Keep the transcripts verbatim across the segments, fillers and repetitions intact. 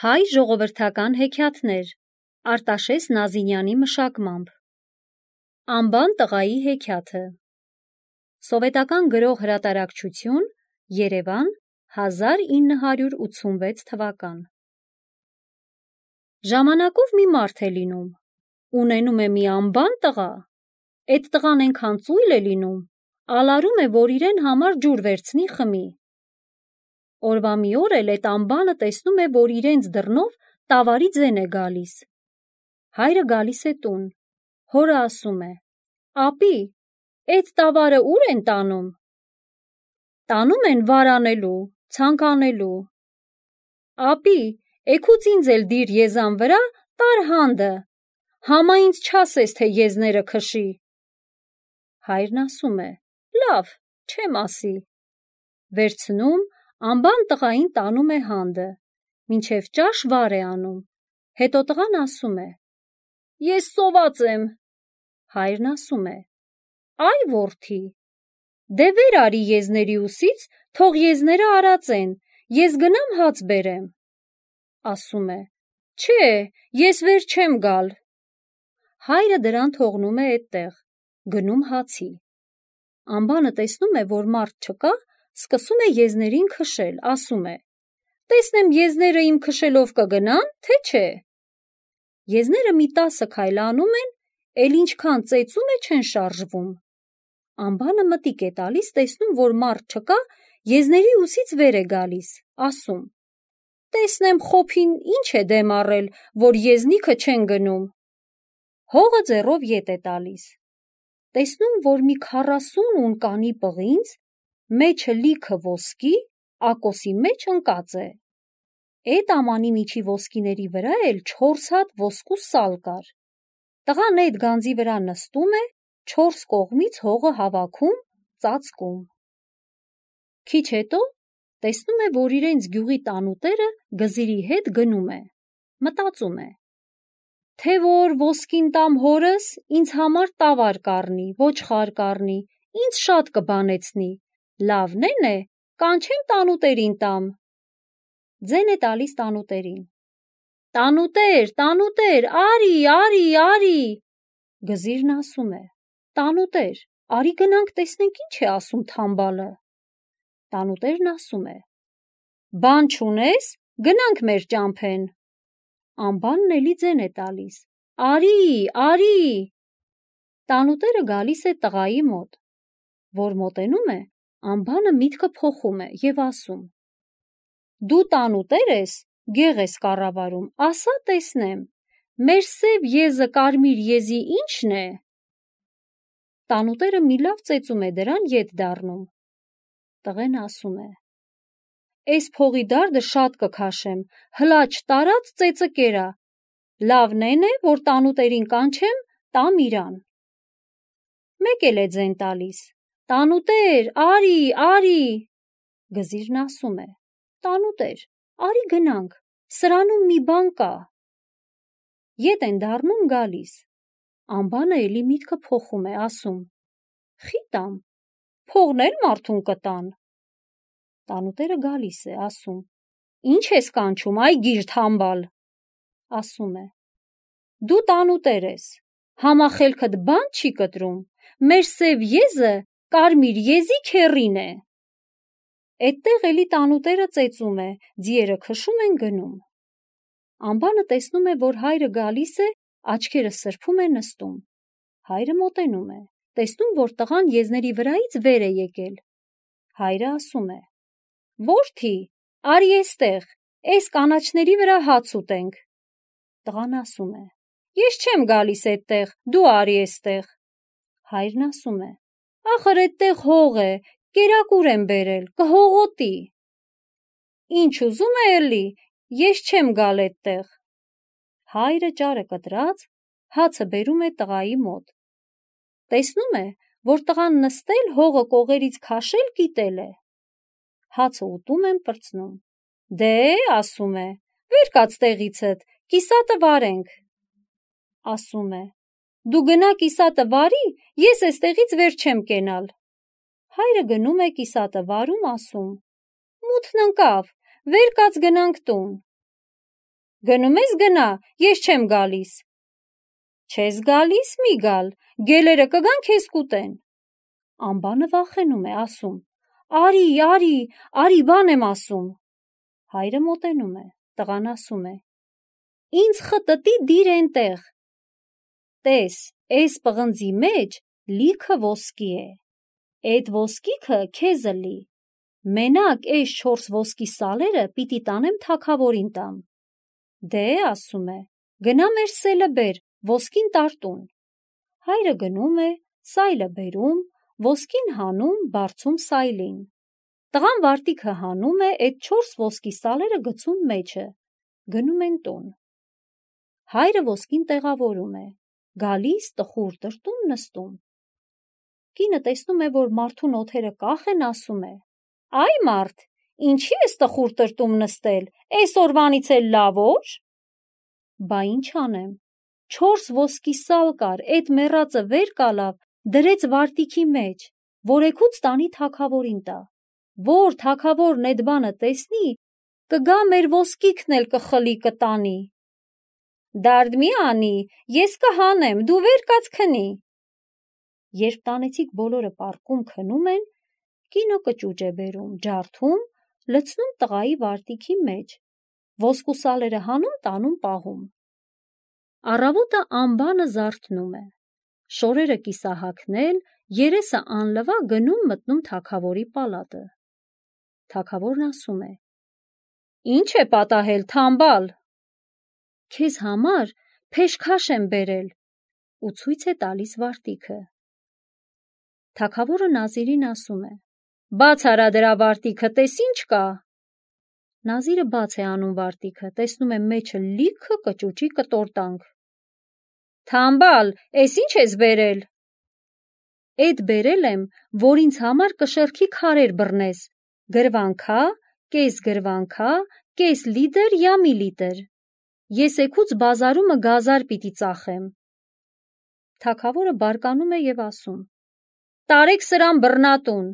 Հայ ժողովրդական հեքիաթներ Արտաշես Նազինյանի մշակմամբ Անբան տղայի հեքիաթը Սովետական գրող հրատարակչություն Երևան հազար ինը հարյուր ութսունվեց թվական Ժամանակով մի մարդ է լինում, ունենում է մի անբան տղա, էդ տղան ենքան ծույլ է լինում, ալարում է, որ իրեն համար ջուր վերցնի խմի։ Օրվա մի օր էլ էդ անբանը տեսնում է, որ իրենց դռնով տավարի ձեն է գալիս։ Հայրը գալիս է տուն, հորը ասում է. «Ապի, էդ տավարը ուր են տանում»։ Տանում են վարանելու, ցանկանելու։ «Ապի, էգուց ինձ էլ դիր եզան վրա, տար հանդը, համա ինձ չասես, թե եզները քշի»։ Հայրն ասում է. «Լավ, չեմ ասի»։ Վերցնում, անբան տղային տանում է հանդը, մինչև ճաշ վար է անում, հետո տղան ասում է. «Ես սոված եմ»։ Հայրն ասում է. «Այ որդի, դե վեր արի եզների ուսից, թող եզները արածեն, ես գնամ հաց բերեմ»։ Ասում է. «Չէ, ես վեր չեմ գալ»։ Հայրը դրան թողնում է էդտեղ, գնում հացի։ Անբանը տեսնում է, որ մարդ չկա, սկսում է եզներին քշել, ասում է. «Տեսնեմ եզները իմ քշելով կգնան, թե չէ»։ Եզները մի տասը քայլ անում են, էլ ինչքան ծեծում է չեն շարժվում։ Անբանը մտիկ է տալիս, տեսնում, որ մարդ չկա, եզների ուսից վեր է գալիս, ասում. «Տեսնեմ խոփին ինչ է դեմ առել, որ եզնիքը չեն գնում»։ Հողը ձեռով ետ է տալիս։ Տեսնում, որ մի քառասուն ունկանի պղինձ, մեջը լիքը ոսկի, ակոսի մեջ ընկած է։ Էդ ամանի միջի ոսկիների վրա էլ չորս հատ ոսկու սալ կար։ Տղան էդ գանձի վրա նստում է, չորս կողմից հողը հավաքում, ծածկում։ Քիչ հետո տեսնում է, որ իրենց գյուղի տանուտերը գզիրի հետ գնում է, մտածում է. «Թե որ ոսկին տամ հորս, ինձ համար տավար կառնի, ոչխար կառնի, ինձ շատ կբանեցնի, լավնեն է, կանչեմ տանուտերին տամ»։ Ձեն է տալիս տանուտերին. «Տանուտեր, տանուտեր, արի, արի, արի»։ Գզիրն ասում է. «Տանուտեր, արի գնանք տեսնենք ինչ է ասում թամբալը»։ Տանուտերն ասում է. «Բան չունես, գնանք մեր ճամփեն»։ Անբանն էլի ձեն է տալիս. «Արի, արի»։ Տանուտերը գալիս է տղայի մոտ, որ մոտենում է, անբանը միտքը փոխում է և ասում. «Դու տանուտեր ես, գեղ ես կառավարում, ասա տեսնեմ, մեր սև եզը կարմիր եզի ի՞նչն է»։ Տանուտերը մի լավ ծեծում է դրան ետ դառնում։ Տղեն ասում է. «Էս փողի դարդը շատ կքաշեմ, հլա չտարած ծեծը կերա, լավնեն է, որ տանուտերին կանչեմ, տամ իրան»։ Մեկ էլ է ձեն տալիս. «Տանուտեր, արի, արի»։ Գզիրն ասում է. «Տանուտեր, արի գնանք, սրանում մի բան կա»։ Ետ են դառնում գալիս։ Անբանը էլի միտքը փոխում է, ասում. «Խի տամ, փողն էլ մարդուն կտան»։ Տանուտերը գալիս է, ասում. «Ինչ ես կանչում, այ գիր թամբալ»։ Ասում է. «Դու տանուտեր ես, համախելքդ բան չի կտրում, մեր սև եզը կարմիր եզի քեռին է»։ Էդտեղ էլի տանուտերը ծեծում է, ձիերը քշում են գնում։ Անբանը տեսնում է, որ հայրը գալիս է, աչքերը սրբում է նստում։ Հայրը մոտենում է, տեսնում, որ տղան եզների վրայից վեր է եկել։ Հայրը ասում է. «Որդի, արի էստեղ, էս կանաչների վրա հաց ուտենք»։ Տղան ասում է. «Ես չեմ գալիս էդտեղ, դու արի էստեղ»։ Հայրն ասում է. «Ախր էդտեղ հող է, կերակուր եմ բերել, կհողոտի»։ «Ինչ ուզում է էլի, ես չեմ գալ էդտեղ»։ Հայրը ճարը կտրած, հացը բերում է տղայի մոտ։ Տեսնում է, որ տղան նստել, հողը կողերից քաշել կիտել է։ Հացը ուտում են, պրծնում։ «Դե», ասում է, «վեր կաց տեղիցդ, կիսատը վարենք»։ Ասում է. «Դու գնա կիսատը վարի, ես էստեղից վեր չեմ կենալ»։ Հայրը գնում է կիսատը վարում, ասում. «Մութն ընկավ, վեր կաց գնանք տուն»։ Գնում ես գնա, ես չեմ գալիս։ Չես գալիս, մի գալ, գելերը կգան քեզ կուտեն։ Անբանը վախենում է, ասում. Արի, արի, արի, բան եմ ասում։ Հայրը մոտենում է, տղան ասում է. Ինձ խտտի դիր էնտեղ։ Տես, էս պղնձի մեջ լիքը ոսկի է։ Էդ ոսկիքը քեզը լի։ Մենակ էս չորս ոսկի սալերը պիտի տանեմ թագավորին տամ։ Դե, ասում է, գնա մեր սելը բեր, ոսկին տարտուն։ Հայրը գնում է, սայլը բերում, ոսկին հանում, բարձում սայլին։ Տղան վարտիքը հանում է, էդ չորս ոսկի սալերը գցում մեջը, գնում են տուն։ Հայրը ոսկին տեղավորում է, գալիս տխուր տրտում նստում։ Կինը տեսնում է, որ մարդուն օթերը կախ են, ասում է. Այ մարդ, ինչի ես տխուր տրտում նստել, էս օրվանից էլ լավ օր։ Բա ինչ անեմ, չորս ոսկի սալ կար, էդ մեռածը վեր կալավ, դրեց վարտիքի մեջ, որ էգուց տանի թագավորին տա, որ թագավորն էդ բանը տեսնի, կգա մեր ոսկիքն էլ կխլի կտանի։ Դարդ մի անի, ես կհանեմ, դու վեր կաց քնի։ Երբ տանեցիք բոլորը պառկում քնում են, կինը կճուճ է բերում, ջարդում, լցնում տղայի վարտիքի մեջ, ոսկու սալերը հանում, տանում պահում։ Առավոտը անբանը զարթնում է, շորերը կիսահագնել, երեսը անլվա գնում մտնում թագավորի պալատը։ Թագավորն ասում է. Ինչ է պատահել, թամբալ։ Քեզ համար փեշքաշ եմ բերել, ու ցույց է տալիս վարտիքը։ Թագավորը Նազիրին ասում է. Բաց արա դրա վարտիքը, տես ինչ կա։ Նազիրը բաց է անում վարտիքը, տեսնում է մեջը լիքը կճուճի կտորտանք։ Թամբալ, էս ինչ ես բերել։ Էդ բերել եմ, որ ինձ համար կշեռքի քարեր բռնես, գրվանքա, կես գրվանքա, կես լիտր, յամի լիտր։ Ես էգուց բազարումը գազար պիտի ծախեմ։ Թագավորը բարկանում է և ասում. Տարեք սրան բռնատուն։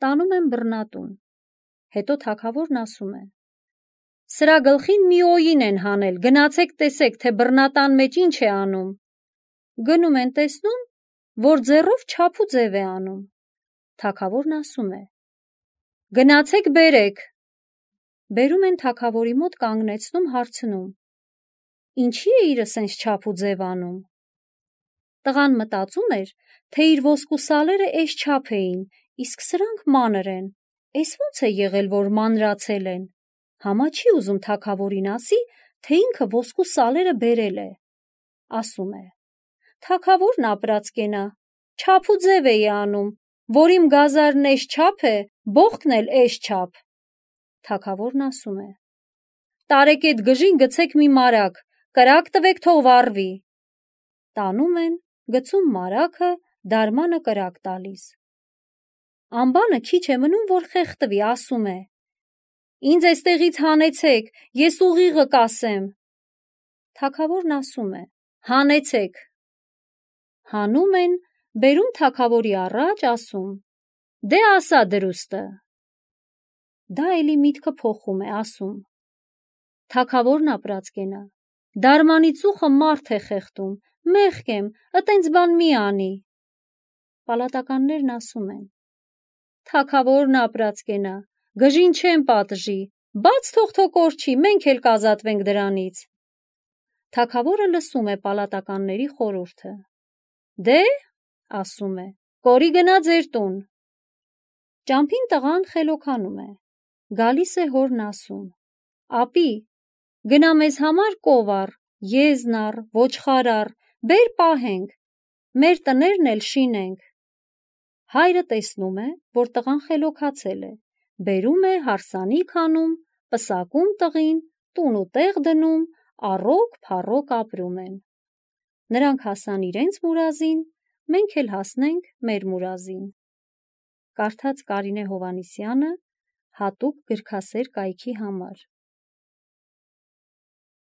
Տանում են բռնատուն։ Հետո թագավորն ասում է. Սրա գլխին մի օյին են հանել, գնացեք տեսեք, թե բռնատան մեջ ինչ է անում։ Գնում են տեսնում, որ ձեռով չափ ու ձև է անում։ Թագավորն ասում է. Գնացեք բերեք։ Բերում են թագավորի մոտ կանգնեցնում, հարցնում. Ինչի է իրը սենց չափ ու ձև անում։ Տղան մտածում էր, թե իր ոսկու սալերը էս չափ էին, իսկ սրանք մանր են, էս ոնց է եղել, որ մանրացել են։ Համա չի ուզում թագավորին ասի, թե ինքը ոսկու սալերը բերել է։ Ասում է. Թագավորն ապրած կենա, չափ ու ձև էի անում, որ իմ գազարն էս չափ է, բողկն էլ էս չափ։ Թագավորն ասում է. Տարեք էդ գժին գցեք մի մարակ, կրակ տվեք, թող վառվի։ Տանում են, գցում մարակը, դարմանը կրակ տալիս։ Անբանը քիչ է մնում, որ խեղդվի, ասում է. Ինձ էստեղից հանեցեք, ես ուղիղը կասեմ։ Թագավորն ասում է. Հանեցեք։ Հանում են, բերում թագավորի առաջ, ասում. Դե ասա դրուստը։ Դա էլի միտքը փոխում է, ասում. Թագավորն ապրած կենա, դարմանի ծուխը մարդ է խեղդում, մեղք եմ, ըտենց բան մի անի։ Պալատականներն ասում են. Թագավորն ապրած կենա, գժին չեն պատժի, բաց թող թո կորչի, մենք էլ կազատվենք դրանից։ Թագավորը լսում է պալատականների խորհուրդը։ Դե, ասում է, կորի գնա ձեր տուն։ Ճամփին տղան խելոքանում է, գալիս է հորն ասում. Ապի, գնա մեզ համար կովար, եզնար, ոչխարար, բեր պահենք, մեր տներն էլ շինենք։ Հայրը տեսնում է, որ տղան խելոքացել է, բերում է հարսանիք անում, պսակում տղին, տուն ու տեղ դնում, առոք փառոք ապրում են։ Նրանք հասան իրենց մուրազին, մենք էլ հասնենք մեր մուրազին։ Կարդաց Կարինե Հովհաննիսյանը հատուկ գրքասեր կայքի համար։